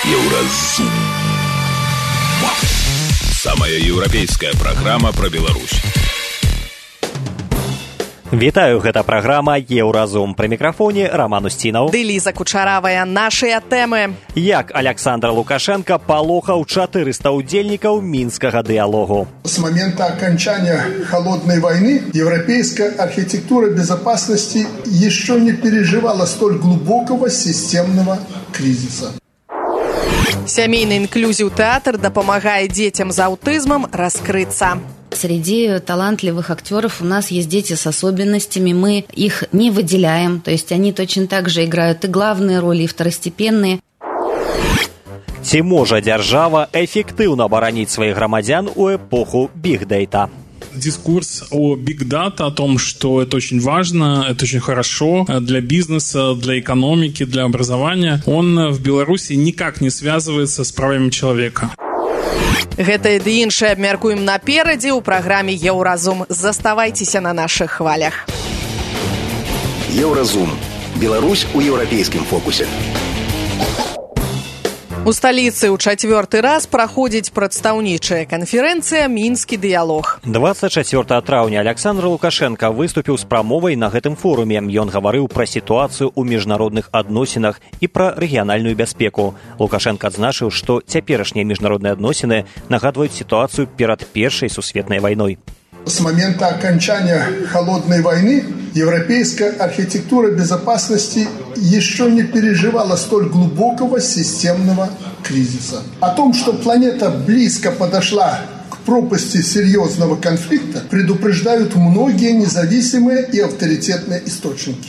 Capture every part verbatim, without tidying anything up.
Еўразум. Самая еўрапейская праграма пра Беларусь. Вітаю, гэта праграма «Еўразум». Пры мікрафоне Роман Устінаў. Ды Ліза Кучаравая. Нашыя тэмы. Як Александр Лукашенко палохаў четыреста удзельнікаў мінскага дыалогу. С момента окончания холодной войны европейская архитектура безопасности еще не переживала столь глубокого системного кризиса. Сямейны інклюзіў тэатр дапамагае дзецям з аўтызмам раскрыцца. Среди талантливых актеров у нас есть дети с особенностями, мы их не выделяем, то есть они точно так же играют и главные роли, и второстепенные. Ці можа дзяржава эфектыўна абараніць сваіх грамадзян у эпоху биг-дейта? Дискурс о биг-дата, о том, что это очень важно, это очень хорошо для бизнеса, для экономики, для образования, он в Беларуси никак не связывается с правами человека. Гэта і іншае абмяркуем наперадзе ў праграме «Еўразум». Заставайцеся на нашых хвалях. Еўразум. Беларусь у еўрапейскім фокусе. У сталіцы ў чацвёрты раз праходзіць прадстаўнічая канферэнцыя «Мінскі дыялог». двадцать четвёртого траўня Александр Лукашенко выступіў з прамовай на гэтым форуме. Ён гаварыў пра сітуацыю ў міжнародных адносінах і пра рэгіянальную бяспеку. Лукашенко адзначыў, што цяперашнія міжнародныя адносіны нагадваюць сітуацыю перад Першай сусветнай вайной. С момента окончания холодной войны европейская архитектура безопасности еще не переживала столь глубокого системного кризиса. О том, что планета близко подошла к пропасти серьезного конфликта, предупреждают многие независимые и авторитетные источники.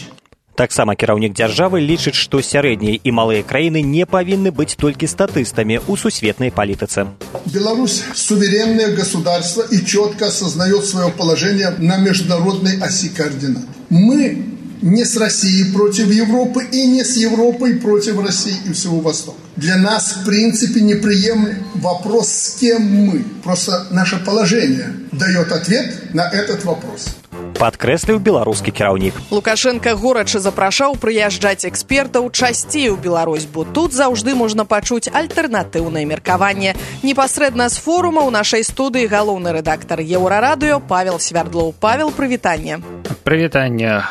Таксама кіраўнік дзяржавы лічыць, што сярэднія і малыя краіны не павінны быць толькі статыстамі ў сусветнай палітыцы. Беларусь – суверенное государство и четко осознает свое положение на международной оси координат. Мы не с Россией против Европы и не с Европой против России и всего Востока. Для нас, в принципе, неприемлем вопрос, с кем мы. Просто наше положение дает ответ на этот вопрос. Падкрэсліў беларускі кіраўнік. Лукашенко горача запрашаў прыязджаць экспертаў часцей у Беларусь, бо тут заўжды можна пачуць альтэрнатыўнае меркаванне. Непасрэдна з форума ў нашай студыі галоўны рэдактар Еўрарадыё Павел Свярдлоў. Павел, прывітанне. Прывітанне.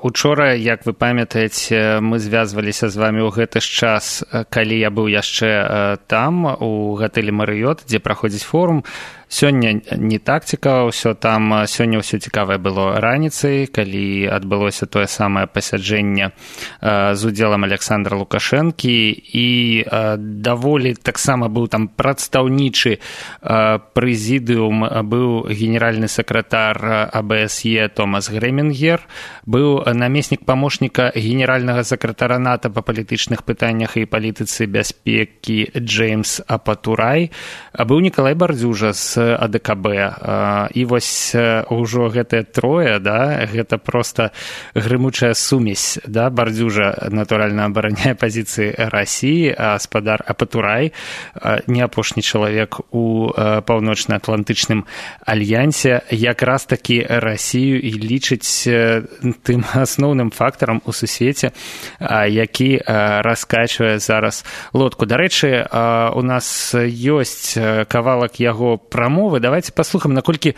Учора, як вы памятаеце, мы звязваліся з вамі ў гэты ж час, калі я быў яшчэ там, у гатэлі Марыёт, дзе праходзіць форум. Сёння не так цікава ўсё там. Сёння ўсё цікавае было раніцай, калі адбылося тое самае пасяджэнне з удзелам Александра Лукашэнкі, і даволі таксама быў там прадстаўнічы прэзідыум, быў генеральны сакратар А Бэ Эс Е Томас Грэмінгер, быў намеснік памочніка генеральнага сакратара НАТО па палітычных пытаннях і палітыцы бяспекі Джеймс Апатурай, быў Нікалай Бардзюжа з А Дэ Ка Бэ. І вось ужо гэтыя трое, да, гэта проста грымучая сумесь, да. Бардзюжа, натуральна, абараняе пазіцыі Расіі, а спадар Апатурай, не апошні чалавек у паўночна-атлантычным альянсе, якраз такі Расію і лічыць тым асноўным фактарам у сусвеце, які раскачвае зараз лодку. Дарэчы, у нас ёсць кавалак яго прамовы. Давайте паслухаем, наколькі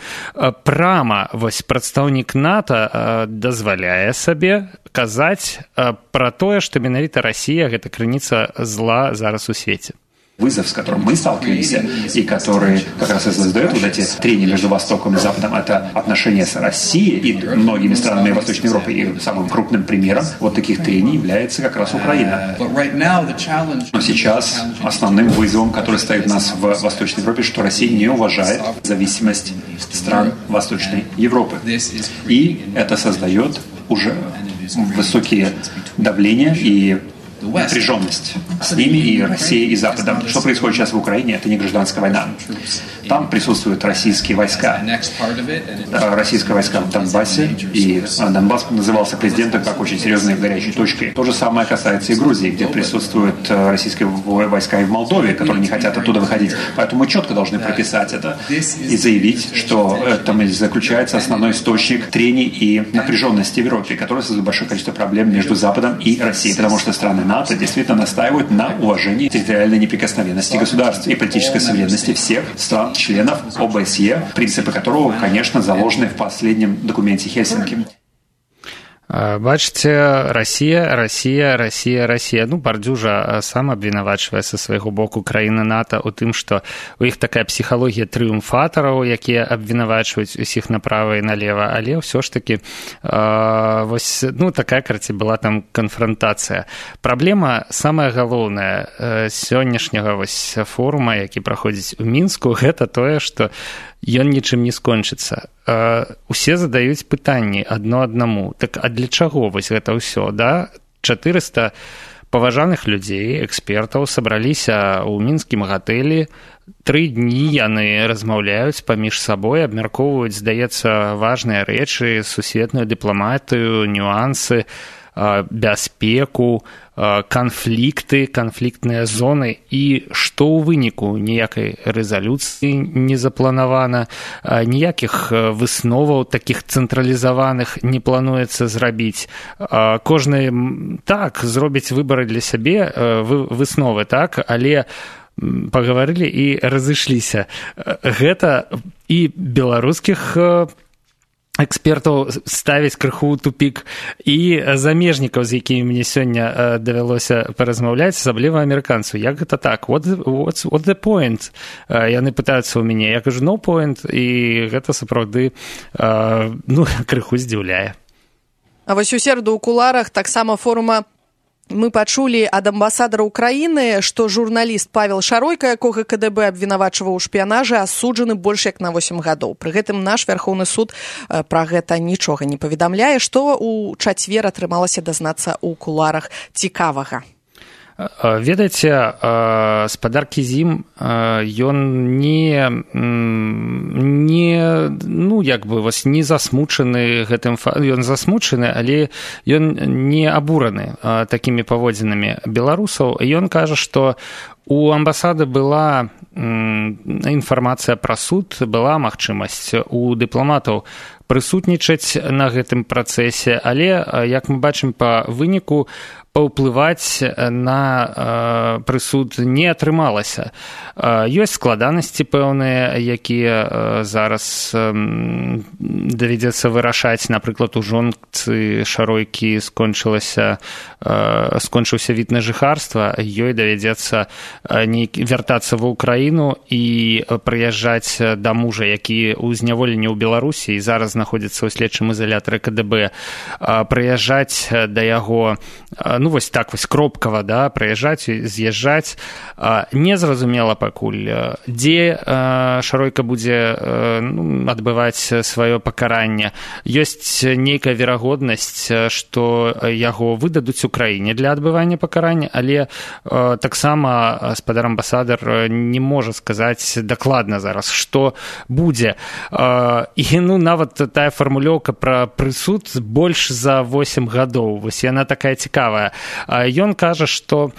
прама вось прадстаўнік НАТО дазваляе сабе казаць пра тое, што менавіта Расія гэта крыніца зла зараз у свеце. Вызов, с которым мы сталкиваемся, и который как раз и создает вот эти трения между Востоком и Западом, это отношения с Россией и многими странами Восточной Европы. И самым крупным примером вот таких трений является как раз Украина. Но сейчас основным вызовом, который стоит у нас в Восточной Европе, что Россия не уважает зависимость стран Восточной Европы. И это создает уже высокие давления и напряженность с ними, и Россией, и Западом. Что происходит сейчас в Украине, это не гражданская война. Там присутствуют российские войска. Российские войска в Донбассе, и Донбасс назывался президентом как очень серьезной горячей точкой. То же самое касается и Грузии, где присутствуют российские войска, и в Молдове, которые не хотят оттуда выходить. Поэтому мы четко должны прописать это и заявить, что там заключается основной источник трений и напряженности в Европе, который создает большое количество проблем между Западом и Россией, потому что страны НАТО действительно настаивают на уважении территориальной неприкосновенности государств и политической суверенности всех стран-членов О Б С Е, принципы которого, конечно, заложены в последнем документе Хельсинки. Бачыце, Расія, Расія, Расія, Расія. Ну, Бардзюжа сам абвінавачвае са свайго боку краіны НАТО ў тым, што у іх такая псіхалогія трыумфатараў, якія абвінавачваюць усіх направа і налева, але ўсё ж такі э, вось, ну, такая, карці, была там канфрантацыя. Праблема самая галоўная э, сённяшняга вось форума, які праходзіць у Мінску, гэта тое, што ён нічым не скончыцца. Усе задаюць пытанні адно аднаму. Так а для чаго вось гэта ўсё, да? чатырыста паважаных людзей, экспертаў сабраліся ў мінскім гатэлі. Тры дні яны размаўляюць паміж сабой, абмяркоўваюць, здаецца, важныя рэчы, сусветную дыпламатыю, нюансы, бяспеку, канфлікты, канфліктныя зоны, і што ў выніку? Ніякай рэзалюцыі не запланавана, ніякіх высноваў такіх цэнтралізаваных не плануецца зрабіць. Кожны, так, зробіць выбары для сябе, высновы, так, але пагаварылі і разышліся. Гэта і беларускіх экспертаў ставіць крыху ў тупік, і замежнікаў, з якімі мне сёння давялося паразмаўляць, асабліва амерыканцу. Як гэта так? What the, what's, what the point? Яны пытаюцца ў мяне. Я кажу, no point, і гэта сапраўды ну, крыху здзіўляе. А вось у сераду ў куларах таксама форума мы пачулі ад амбасадара Украіны, што журналіст Павел Шаройка, якога К Д Б абвінавачваў у шпіянажы, асуджаны больш як на восем гадоў. Пры гэтым наш Вярхоўны суд пра гэта нічога не паведамляе. Што ў чацвер атрымалася дазнацца ў куларах цікавага? Ведаеце, спадар Кізім, ён не, не, ну, як бы, вось, не засмучаны гэтым, ён засмучаны, але ён не абураны такімі паводзінамі беларусаў. Ён кажа, што у амбасады была інфармацыя пра суд, была магчымасць у дыпламатаў прысутнічаць на гэтым працэсе, але, як мы бачым па выніку, паўплываць на э, прысуд не атрымалася. Э, ёсць складанасці пэўныя, якія э, зараз э, давядзецца вырашаць. Напрыклад, у жонцы Шаройкі скончылася, э, скончыўся від на жыхарства, ёй давядзецца э, вяртацца ва ўкраіну і прыязджаць да мужа, які ў зняволенні ў Беларусі і зараз знаходзіцца ў следчым ізалятары К Д Б, э, прыязджаць да яго, э, ну, вось так вось кропкава, да, прыязджаць, з'язджаць. Незразумела пакуль, дзе Шаройка будзе ну, адбываць сваё пакаранне. Ёсць нейкая верагоднасць, што яго выдадуць у краіне для адбывання пакарання, але таксама спадар амбасадар не можа сказаць дакладна зараз, што будзе. І ну, нават тая фармулёўка пра прысуд больш за восем гадоў. Вось яна такая цікавая. Ён кажа, што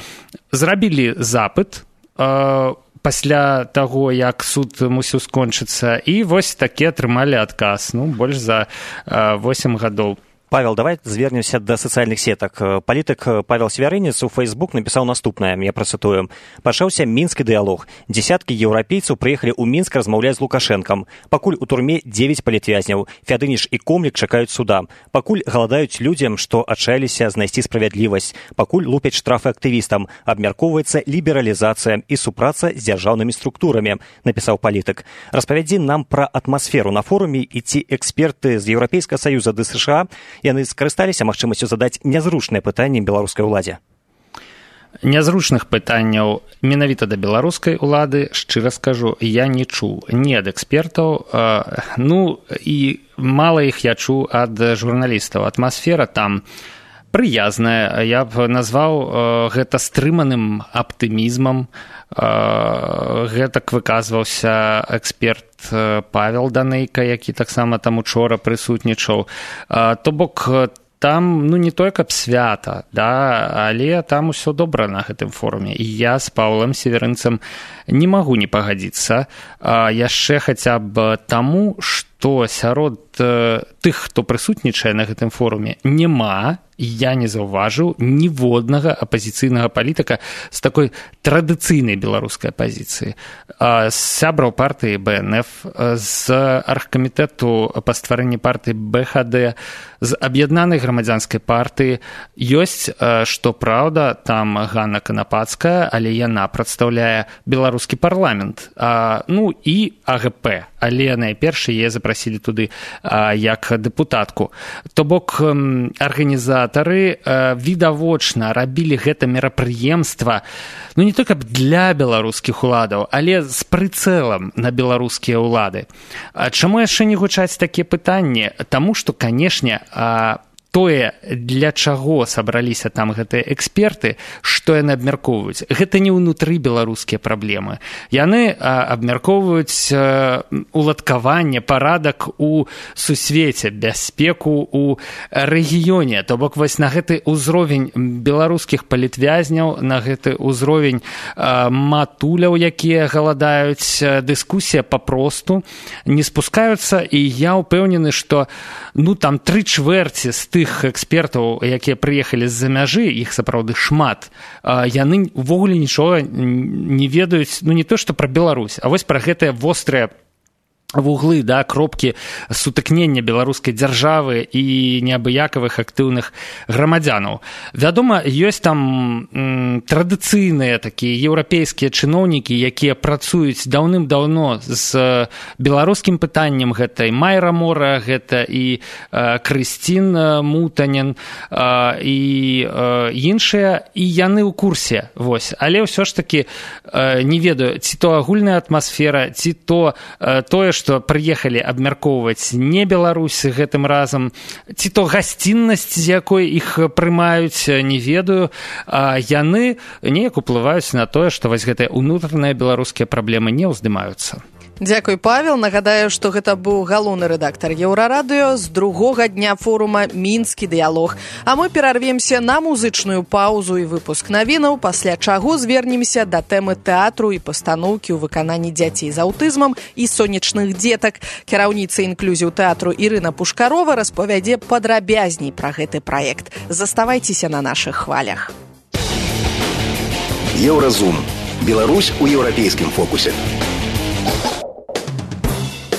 зрабілі запыт э, пасля таго, як суд мусіў скончыцца, і вось такі атрымалі адказ, ну, больш за э, восем гадоў. Павел, давай звернемся да сацыяльных сетак. Палітык Павел Свярынец у Facebook напісаў наступнае, я працытую. Пачаўся мінскі дыялог. Дзесяткі еўрапейцаў прыехалі ў Мінск размаўляць з Лукашэнкам. Пакуль у турме дзевяць палітвязняў. Фядыніш і Комлік чакаюць суда. Пакуль галадаюць людзям, што адчаяліся знайсці справядлівасць. Пакуль лупяць штрафы актывістам. Абмяркоўваецца лібералізацыя і супраца з дзяржаўнымі структурамі, напісаў палітык. Распавядзі нам пра атмасферу на форуме і ці эксперты з Еўрапейскага саюза ды США яны скарысталіся магчымасцю задаць нязручныя пытанні беларускай уладзе? Нязручных пытанняў менавіта да беларускай улады, шчыра скажу, я не чуў ні ад экспертаў, э, ну і мала іх я чуў ад журналістаў. Атмасфера там прыязная, я б назваў э, гэта стрыманым аптымізмам. Э, гэтак выказваўся эксперт э, Павел Данейка, які таксама там учора прысутнічаў. Э, то бок там, ну, не той, каб свята, да, але там усё добра на гэтым форуме. І я з Паўлам Северынцам не магу не пагадзіцца. Э, яшчэ хаця б таму, што што сярод тых, хто прысутнічае на гэтым форуме, няма, я не заўважыў ніводнага апазіцыйнага палітыка з такой традыцыйнай беларускай апазіцыі. З сябраў партыі бэ эн эф, з аргкамітэту па стварэнні партыі бэ ха дэ, з аб'яднанай грамадзянскай партыі. Ёсць, што праўда, там Ганна Канапацкая, але яна прадстаўляе беларускі парламент, ну і а гэ пэ, але найперш яе запрасілі туды як дэпутатку. То бок арганізатары відавочна рабілі гэта мерапрыемства, ну не только для беларускіх уладаў, але з прыцэлам на беларускія ўлады. Чаму яшчэ не гучаць такія пытанні? Таму што, канешне, тое, для чаго сабраліся там гэтыя эксперты, што яны абмяркоўваюць, гэта не ўнутры беларускія праблемы. Яны абмяркоўваюць уладкаванне, парадак у сусвеце, бяспеку ў рэгіёне. То бок вось на гэты ўзровень беларускіх палітвязняў, на гэты ўзровень матуляў, якія галадаюць, дыскусія папросту не спускаюцца, і я ўпэўнены, што ну там тры чвэрці з тых экспертаў, якія прыехалі з-за мяжы, іх сапраўды шмат, яны ўвогуле нічога не ведаюць, ну не то, што пра Беларусь, а вось пра гэтыя вострыя вуглы, да, кропкі сутыкнення беларускай дзяржавы і неабыякавых актыўных грамадзянаў. Вядома, ёсць там м, традыцыйныя такія еўрапейскія чыноўнікі, якія працуюць даўным-даўно з беларускім пытаннем. Гэта і Майра Мора, гэта і э, Крысцін Мутанін э, і э, іншыя, і яны ў курсе. Вось. Але ўсё ж такі э, не ведаю, ці то агульная атмасфера, ці то э, тое, што прыехалі абмяркоўваць не Беларусь гэтым разам, ці то гасціннасць, з якой іх прымаюць, не ведаю, а яны неяк уплываюць на тое, што вось гэтыя ўнутраныя беларускія праблемы не ўздымаюцца. Дзякуй, Павел. Нагадаю, што гэта быў галоўны рэдактар Еўрарадыё з другога дня форума «Мінскі дыялог». А мы перарвемся на музычную паузу і выпуск навінаў, пасля чаго звернемся да тэмы тэатру і пастаноўкі ў выкананні дзяцей з аўтызмам і сонечных дзетак. Кіраўніца інклюзіў тэатру Ірына Пушкарова распавядзе падрабязней пра гэты праект. Заставайцеся на нашых хвалях. Еўразум. Беларусь у еўрапейскім фокусе.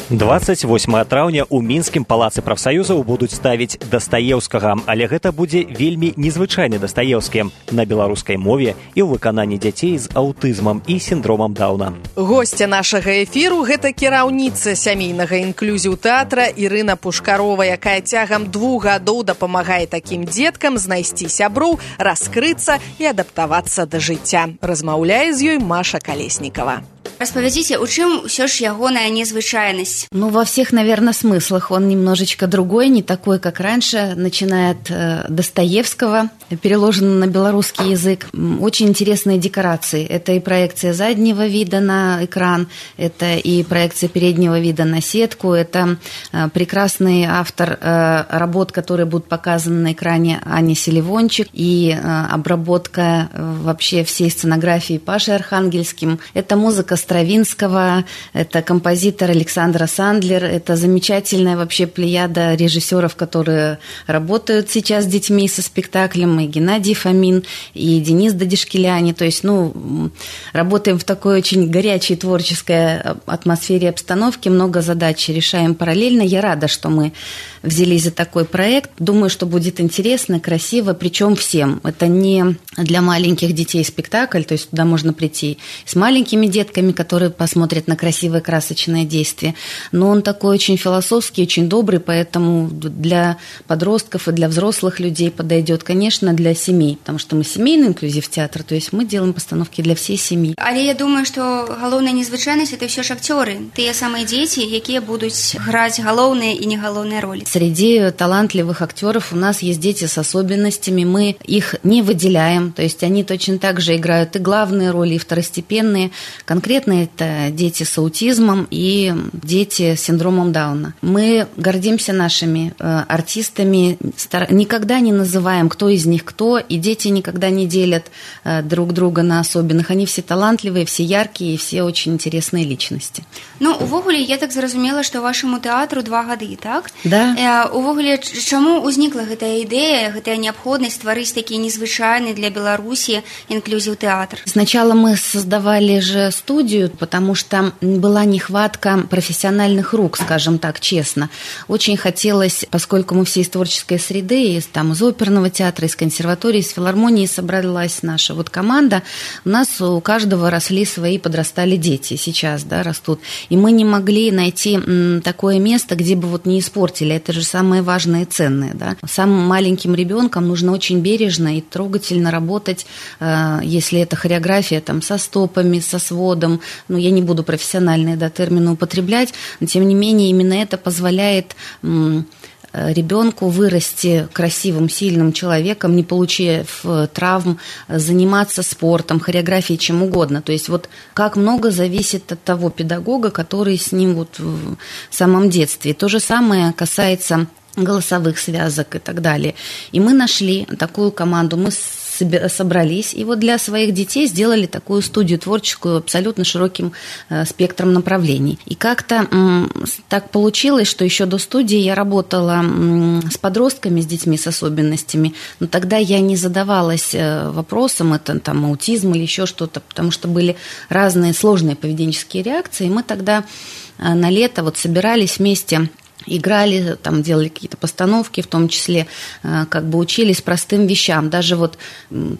дваццаць восьмага траўня ў мінскім палацы прафсаюзаў будуць ставіць Дастаеўскага, але гэта будзе вельмі незвычайны Дастаеўскі на беларускай мове і ў выкананні дзяцей з аўтызмам і сіндромам Даўна. Госця нашага эфіру – гэта кіраўніца сямейнага інклюзіў тэатра Ірына Пушкарова, якая цягам двух гадоў дапамагае такім дзеткам знайсці сяброў, раскрыцца і адаптавацца да жыцця. Размаўляе з ёй Маша Колеснікова. Распавядзіце, у чым ўсё ж ягоная незвычайнасць? Ну, во всех, наверное, смыслах. Он немножечко другой, не такой, как раньше. Начиная от э, Достоевского, переложено на белорусский язык. Очень интересные декорации. Это и проекция заднего вида на экран, это и проекция переднего вида на сетку, это э, прекрасный автор э, работ, которые будут показаны на экране, Аня Селивончик, и э, обработка э, вообще всей сценографии Пашей Архангельским. Это музыка Стравинского, это композитор Александра Сандлер, это замечательная вообще плеяда режиссеров, которые работают сейчас с детьми со спектаклем, и Геннадий Фомин, и Денис Дадишкеляни. То есть, ну, работаем в такой очень горячей творческой атмосфере обстановки, много задач решаем параллельно. Я рада, что мы взялись за такой проект. Думаю, что будет интересно, красиво, причем всем. Это не для маленьких детей спектакль, то есть туда можно прийти с маленькими детками, которые посмотрят на красивое красочное действие. Но он такой очень философский, очень добрый, поэтому для подростков и для взрослых людей подойдет, конечно, для семей, потому что мы семейный инклюзив театр, то есть мы делаем постановки для всей семьи. Але я думаю, что галоўная незвычайнасць это все ж акцёры, тыя самыя дети, якія будуць граць галоўныя и не галоўныя роли. Среди талантливых актеров у нас есть дети с особенностями, мы их не выделяем, то есть они точно так же играют и главные роли, и второстепенные. Конкретно конкретно это дети с аутизмом и дети с синдромом Дауна. Мы гордимся нашими э, артистами, стар... никогда не называем, кто из них кто, и дети никогда не делят э, друг друга на особенных. Они все талантливые, все яркие, и все очень интересные личности. Ну, увогуле, я так зразумела, што вашаму тэатру два гады, так? Да. Э, увогуле, чаму ўзнікла гэтая ідэя, гэтая неабходнасць стварыць такі незвычайны для Беларусі инклюзив театр? Сначала мы создавали же студию, потому что была нехватка профессиональных рук, скажем так, честно. Очень хотелось, поскольку мы все из творческой среды, из, там, из оперного театра, из консерватории, из филармонии собралась наша вот команда, у нас у каждого росли свои, подрастали дети, сейчас, да, растут. И мы не могли найти м, такое место, где бы вот не испортили. Это же самое важное и ценное, да. Самым маленьким ребенком нужно очень бережно и трогательно работать, э, если это хореография, там, со стопами, со сводом. Ну, я не буду профессиональные, да, термины употреблять, но тем не менее именно это позволяет м, ребенку вырасти красивым, сильным человеком, не получив травм, заниматься спортом, хореографией, чем угодно. То есть вот как много зависит от того педагога, который с ним вот в самом детстве. То же самое касается голосовых связок и так далее. И мы нашли такую команду, мы собрались, и вот для своих детей сделали такую студию творческую абсолютно широким э, спектром направлений. И как-то м, так получилось, что еще до студии я работала м, с подростками, с детьми с особенностями, но тогда я не задавалась э, вопросом, это там аутизм или еще что-то, потому что были разные сложные поведенческие реакции, и мы тогда э, на лето вот собирались вместе, играли, там делали какие-то постановки, в том числе как бы учились простым вещам, даже вот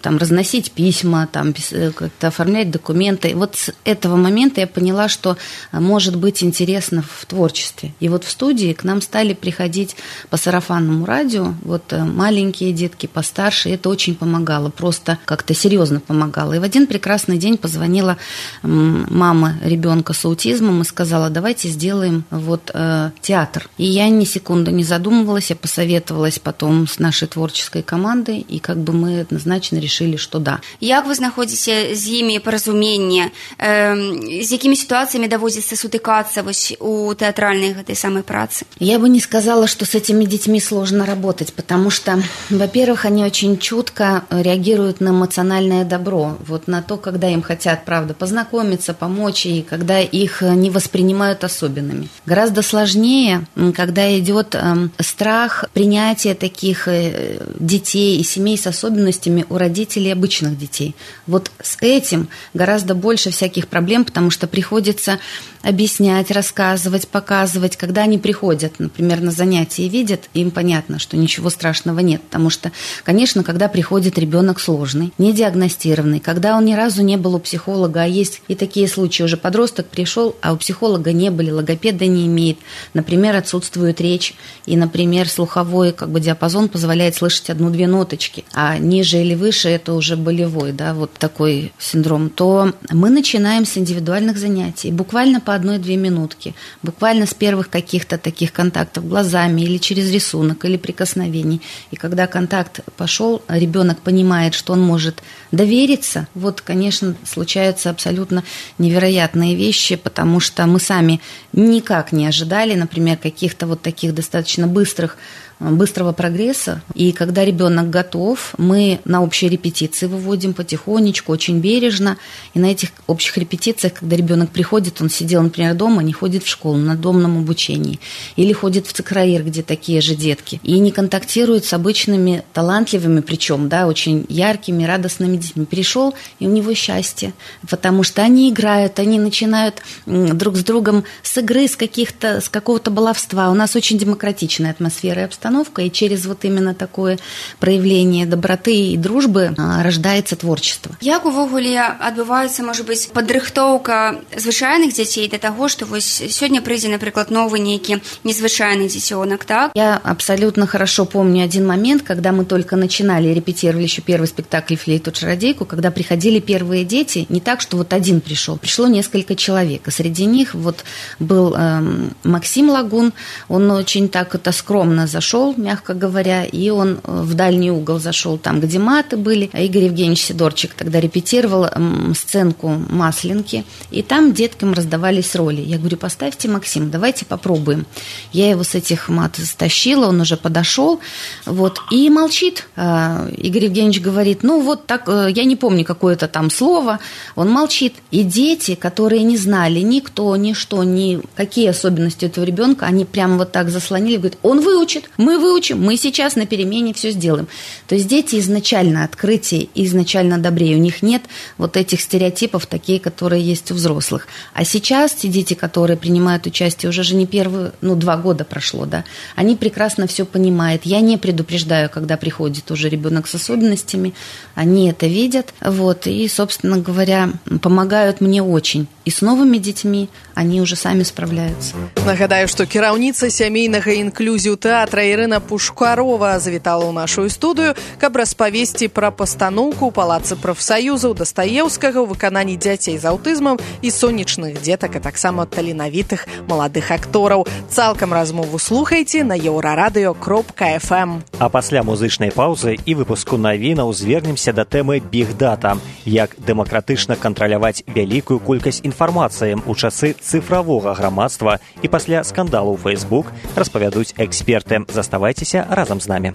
там разносить письма, там как-то оформлять документы. И вот с этого момента я поняла, что может быть интересно в творчестве. И вот в студии к нам стали приходить по сарафанному радио вот маленькие детки, постарше, и это очень помогало, просто как-то серьезно помогало. И в один прекрасный день позвонила мама ребенка с аутизмом и сказала: давайте сделаем вот э, театр. И я ни секунды не задумывалась, я посоветовалась потом с нашей творческой командой, и как бы мы однозначно решили, что да. Як вы знаходзіце з імі паразуменне? Э, з якімі ситуациями даводзіцца сутыкацца вось у тэатральнай гэтай самой працы? Я бы не сказала, что с этими детьми сложно работать, потому что, во-первых, они очень чутко реагируют на эмоциональное добро, вот на то, когда им хотят, правда, познакомиться, помочь, и когда их не воспринимают особенными. Гораздо сложнее, когда идет э, страх принятия таких э, детей и семей с особенностями у родителей обычных детей. Вот с этим гораздо больше всяких проблем, потому что приходится объяснять, рассказывать, показывать. Когда они приходят, например, на занятия и видят, им понятно, что ничего страшного нет. Потому что, конечно, когда приходит ребенок сложный, недиагностированный, когда он ни разу не был у психолога, а есть и такие случаи, уже подросток пришел, а у психолога не были, логопеда не имеет, например, отсутствует речь, и, например, слуховой как бы диапазон позволяет слышать одну-две ноточки, а ниже или выше это уже болевой, да, вот такой синдром, то мы начинаем с индивидуальных занятий, буквально по одной-две минутки, буквально с первых каких-то таких контактов глазами или через рисунок, или прикосновений. И когда контакт пошел, ребенок понимает, что он может довериться, вот, конечно, случаются абсолютно невероятные вещи, потому что мы сами никак не ожидали, например, каких-то вот таких достаточно быстрых быстрого прогресса. И когда ребенок готов, мы на общие репетиции выводим потихонечку, очень бережно. И на этих общих репетициях, когда ребенок приходит, он сидел, например, дома, не ходит в школу на домном обучении. Или ходит в ЦКРАИР, где такие же детки. И не контактирует с обычными, талантливыми, причем, да, очень яркими, радостными детьми. Перешел, и у него счастье. Потому что они играют, они начинают друг с другом с игры, с, каких-то, с какого-то баловства. У нас очень демократичная атмосфера и обстановка. И через вот именно такое проявление доброты и дружбы рождается творчество. Як увогуле адбываецца, можа быць, падрыхтоўка звычайных дзяцей да таго, што вось сёння прыйдзе, напрыклад, новы нейкі незвычайны дзіцёнак, так? Я абсолютно хорошо помню один момент, когда мы только начинали, репетировали еще первый спектакль «Флейту-чародейку», когда приходили первые дети, не так, что вот один пришел, пришло несколько человек, и среди них вот был э, Максим Лагун, он очень так это скромно зашел, подошел, мягко говоря, и он в дальний угол зашел, там, где маты были. Игорь Евгеньевич Сидорчик тогда репетировал сценку «Масленки», и там деткам раздавались роли. Я говорю, поставьте, Максим, давайте попробуем. Я его с этих мат стащила, он уже подошел, вот, и молчит. Игорь Евгеньевич говорит, ну вот так, я не помню какое-то там слово, он молчит. И дети, которые не знали никто, ничто, ни какие особенности этого ребенка, они прямо вот так заслонили, говорят, он выучит, мы выучим, мы сейчас на перемене все сделаем. То есть дети изначально открытие, изначально добрее, у них нет вот этих стереотипов, такие, которые есть у взрослых. А сейчас те дети, которые принимают участие, уже же не первые, ну, два года прошло, да, они прекрасно все понимают. Я не предупреждаю, когда приходит уже ребенок с особенностями, они это видят, вот, и, собственно говоря, помогают мне очень. И с новыми детьми они уже сами справляются. Нагадаю, што кіраўніца сямейнага інклюзію тэатра Ірына Пушкарова завітала ў нашу студыю, каб распавесці пра пастаноўку ў палацы прафсаюзаў Дастаеўскага ў выкананні дзяцей з аўтызмам і сонечных дзетак, а таксама таленавітых маладых актораў. Цалкам размову слухайце на еўрарадыё кропка эф эм. А пасля музычнай паўзы і выпуску навінаў звернемся да тэмы бігдата, як дэмакратычна кантраляваць вялікую колькасць інфармацыі ў часы цифрового грамадства, і пасля скандалу ў Facebook распавядуць эксперты. Заставайцеся разам з намі.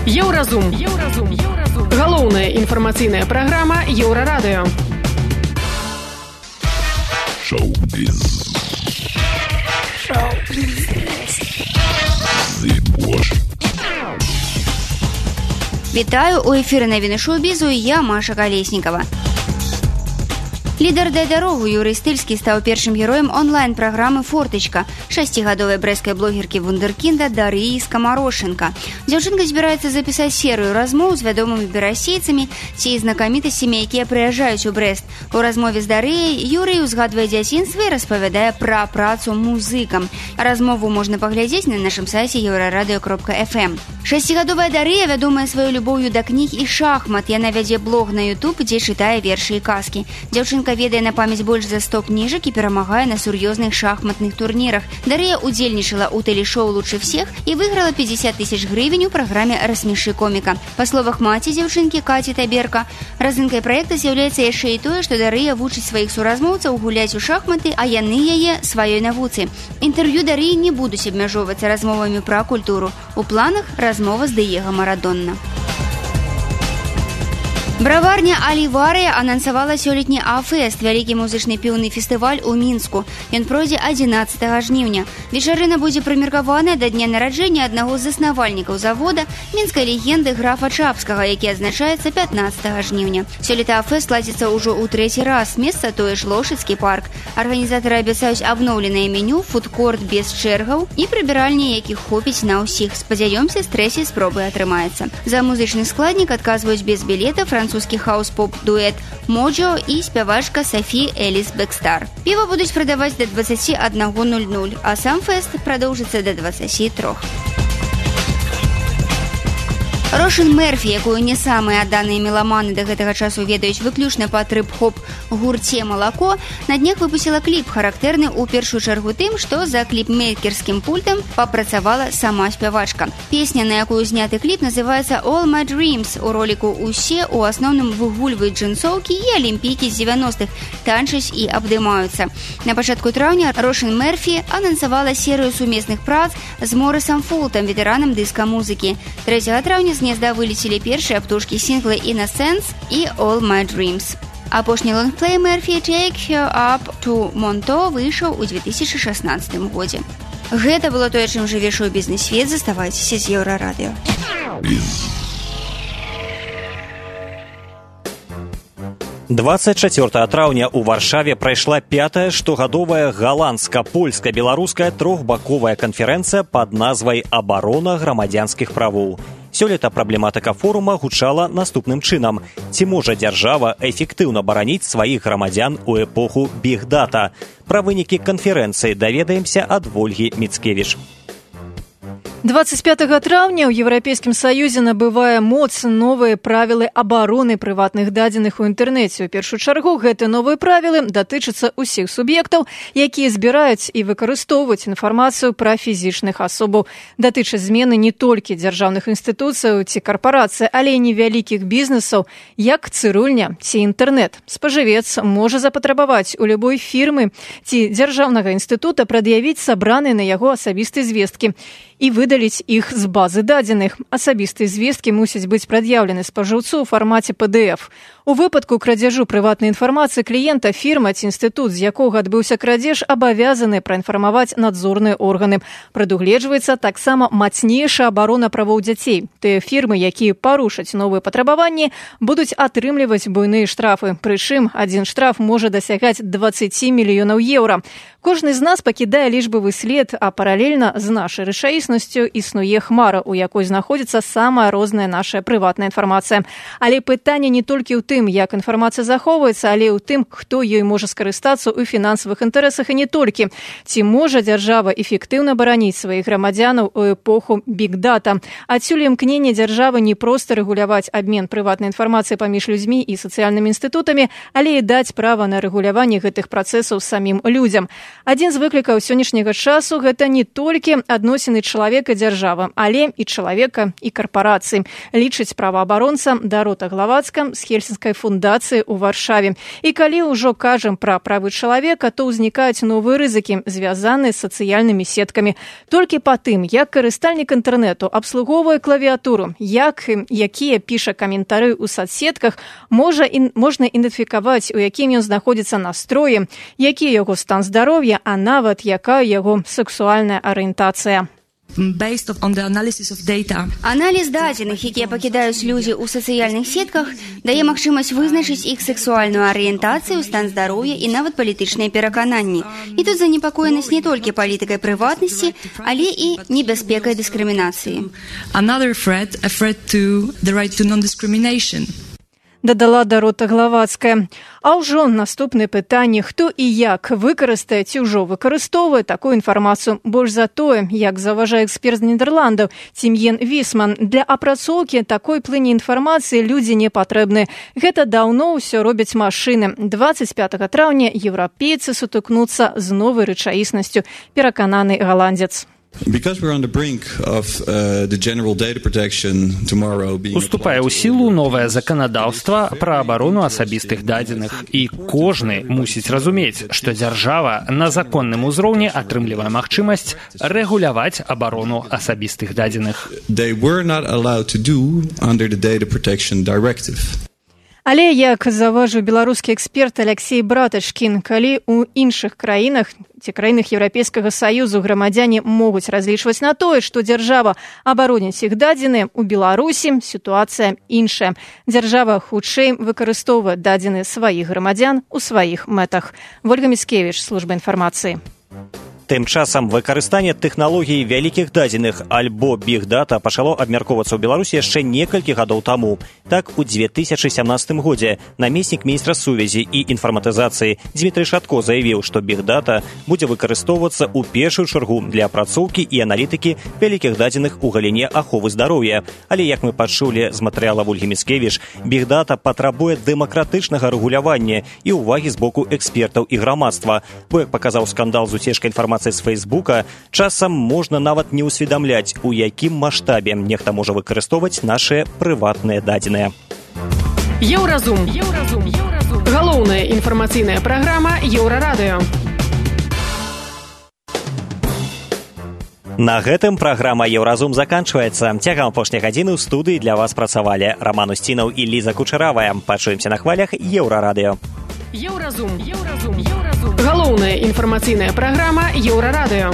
Еўразум. Еўразум. Еўразум. Галоўная інфармацыйная праграма Еўрарадыё. Шоу-біз. Шоу-біз. Зыбош. Вітаю, у эфіры навіны шоу-бізу, я Маша Калеснікава. Лідар «Дай дарогу» Юрый Стыльскі стаў першым героем онлайн-праграмы «Фортачка» шасцігадовай брэсцкай блогеркі вундэркінда Дарыі Скамарошенко. Дзяўчынка збіраецца запісаць серыю размоў з вядомымі берасейцамі ці знакамітасцямі, якія прыязджаюць у Брэст. У размове з Дарыяй Юрый узгадвае дзяцінства і распавядае пра працу музыкам. Размову можна паглядзець на нашым сайце еўрарадыё кропка эф эм. Шасцігадовая Дарыя вядомая сваёй любоўю да кніг і шахмат. Яна вядзе блог на YouTube, дзе чытае вершы і казкі. Дзяўчынка ведае на памяць больш за сто кніжак і перамагае на сур'ёзных шахматных турнірах. Дарыя удзельнічала ў тэлешоу «Лучше всех» і выйграла пятьдесят тысяч гривень у праграме «Рассмеши коміка». Па словах маці дзяўчынкі Каці Таберка, разынкай праекта з'яўляецца яшчэ і тое, што Дарыя вучыць сваіх суразмоўцаў гуляць у шахматы, а яны яе сваёй навуцы. Інтэрв'ю Дарыі не будуць абмяжоўвацца размовамі пра культуру. У планах размова з Дыего Марадонна. Браварня «Аливария» анансавала сёлетні А-фест, вялікі музычны піўны фестываль у Мінску. Ён пройдзе адзінаццатага жніўня. Вечарына будзе прымеркаваная да дня нараджэння аднаго з заснавальнікаў завода, мінскай легенды графа Чапскага, які адзначаецца пятнаццатага жніўня. Сёлета А-фест ладзіцца ўжо ў трэці раз, месца тое ж Лошыцкі парк. Арганізатары абяцаюць абноўленае меню, фудкорт без чэргаў і прыбіральні, якіх хопіць на ўсіх. Спадзяёмся, з трэцяй спробы атрымаецца. За музычны складнік адказваюць без білета французскі хаус-поп-дуэт «Моджо» і спявачка Софі Эліс Бэкстар. Піва будуць прадаваць да дваццаці аднаго нуль-нуль, а сам фэст прадоўжыцца да дваццаці трох. Рошин Мерфі, якую не самыя адданыя меламаны да гэтага часу ведаюць выключна па трып-хоп гурце «Малако», на днях выпусціла кліп, характэрны ў першую чаргу тым, што за кліпмейкерскім пультам папрацавала сама спявачка. Песня, на якую зняты кліп, называецца «All My Dreams». У роліку ўсе ў асноўным выгульваюць джинсоўкі і алімпійкі з дзевяностых, танчаць і абдымаюцца. На пачатку траўня Рошин Мерфі анансавала серыю сумесных прац з Морысам Фултам, ветэранам дыска-музыкі. трэцяга траўня з гнезда вылецелі першыя птушкі сінглы «Innocence» і «All My Dreams». Апошні лонгплей Мерфі «Take Her Up to Monto» выйшаў у две тысячи шаснаццатым годзе. Гэта было тое, чым жыве шоу-бізнес-свет. Заставайцеся з Еўрарадыё. двадцать чацвёртага траўня ў Варшаве прайшла пятая штогадовая галандска-польска-беларуская трохбаковая канферэнцыя пад назвай «Абарона грамадзянскіх правоў». Сёлета праблематыка форума гучала наступным чынам. Ці можа дзяржава эфектыўна бараніць сваіх грамадзян у эпоху бігдата? Пра вынікі канферэнцыі даведаемся ад Вольгі Міцкевіч. двадцать пятага траўня ў Еўрапейскім Саюзе набывае моц новыя правілы абароны прыватных дадзеных у інтэрнэце. У першую чаргу гэтыя новыя правілы датычацца ўсіх суб'ектаў, якія збіраюць і выкарыстоўваюць інфармацыю пра фізічных асобаў. Датычаць змены не толькі дзяржаўных інстытуцыяў ці карпарацый, але і невялікіх бізнесаў, як цырульня ці інтэрнэт. Спажывец можа запатрабаваць у любой фірмы ці дзяржаўнага інстытута прад'явіць сабраныя на яго асабістыя звесткі і выдаліць іх з базы дадзеных. Асабістыя звесткі мусяць быць прад'яўлены спажыўцу ў фармаце пэ дэ эф. У выпадку крадзяжу прыватнай інфармацыі кліента фірма ці інстытут, з якога адбыўся крадзеж, абавязаны праінфармаваць надзорныя органы. Прадугледжваецца таксама мацнейшая абарона правоў дзяцей. Тыя фірмы, якія парушаць новыя патрабаванні, будуць атрымліваць буйныя штрафы. Прычым, адзін штраф можа дасягаць дваццаць мільёнаў еўра. Кожны з нас пакідае лічбавы след, а паралельна з нашай рэчаіснасцю існуе хмара, у якой знаходзіцца самая розная наша прыватная інфармацыя. Але пытанне не толькі ў тым, як інфармацыя захоўваецца, але і ў тым, хто ёй можа скарыстацца ў фінансавых інтарэсах і не толькі. Ці можа дзяржава эфектыўна бараніць сваіх грамадзянаў у эпоху биг-дата? Адсюль імкненне дзяржавы не проста рэгуляваць абмен прыватнай інфармацыі паміж людзьмі і сацыяльнымі інстытутамі, але і даць права на рэгуляванне гэтых працэсаў самім людзям. Адзін з выклікаў сённяшняга часу – гэта не толькі адносіны чалавека і дзяржавы, але і чалавека і карпарацыі, лічыць праваабаронца Дарота Главацка з Хельсінскай фундацыі ў Варшаве. І калі ўжо кажам пра правы чалавека, то ўзнікаюць новыя рызыкі, звязаныя з сацыяльнымі сеткамі. Толькі па тым, як карыстальнік інтэрнэту абслугоўвае клавіатуру, як, якія піша каментары ў соцсетках, можа, ін, можна ідэнтыфікаваць, у якім ён знаходзіцца настроі, які яго стан здароўя, а нават якая яго сексуальная арыентацыя. Аналіз дадзеных, якія пакідаюць людзі ў сацыяльных сетках, дае магчымасць вызначыць іх сексуальную арыентацыю, стан здароўя і нават палітычныя перакананні. І тут занепакоенасць не толькі палітыкай прыватнасці, але і небяспекай дыскрымінацыі. Another threat, a threat to the right to non-discrimination. Дадала Дарота Главацкая. А ўжо наступнае пытанне, хто і як выкарыстае ці ўжо выкарыстоўвае такую інфармацыю. Больш за тое, як заўважае эксперт з Нідерландаў Тімьен Вісман, для апрацоўкі такой плыні інфармацыі людзі не патрэбны. Гэта даўно ўсё робяць машыны. двадцать пятага траўня еўрапейцы сутыкнуцца з новай рэчаіснасцю, перакананы галандзец. Уступае ў сілу новае заканадаўства пра абарону асабістых дадзеных, і кожны мусіць разумець, што дзяржава на законным узроўні атрымлівае магчымасць рэгуляваць абарону асабістых дадзеных. Але, як заўважыў беларускі эксперт Алексей Братачкін, калі ў іншых краінах ці краінах Еўрапейскага Саюзу грамадзяне могуць разлічваць на тое, што дзяржава абароніць іх дадзеныя, у Беларусі сітуацыя іншая. Дзяржава хутчэй выкарыстоўвае дадзеныя сваіх грамадзян у сваіх мэтах. Вольга Міцкевіч, служба інфармацыі. Тым часам выкарыстанне тэхналогій вялікіх дадзеных альбо биг-дата пачало абмяркоўвацца ў Беларусі яшчэ некалькі гадоў таму. Так, у две тысячы сямнадцатым годзе намеснік міністра сувязі і інфарматызацыі Дмітрый Шатко заявіў, што биг-дата будзе выкарыстоўвацца ў першую чаргу для апрацоўкі і аналітыкі вялікіх дадзеных у галіне аховы здароўя. Але, як мы пачулі з матэрыяла Вольгі Міцкевіч, биг-дата патрабуе дэмакратычнага рэгулявання і ўвагі з боку экспертаў і грамадства. Бо, як паказаў скандал з уцечкай інфармацыі з Фейсбука, часам можна нават не ўсведамляць, у якім маштабе нехта можа выкарыстоўваць нашыя прыватныя дадзеныя. Еўразум. Еўразум. Еўразум. Галоўная інфармацыйная праграма Еўрарадыё. На гэтым праграма Еўразум заканчваецца. Цягам апошняй гадзіны ў студыі для вас працавалі Роман Устінаў і Ліза Кучаравая. Пачуемся на хвалях Еўрарадыё. Еўразум. Еўразум. Еўразум. Галоўная інфармацыйная праграма Еўрарадыё.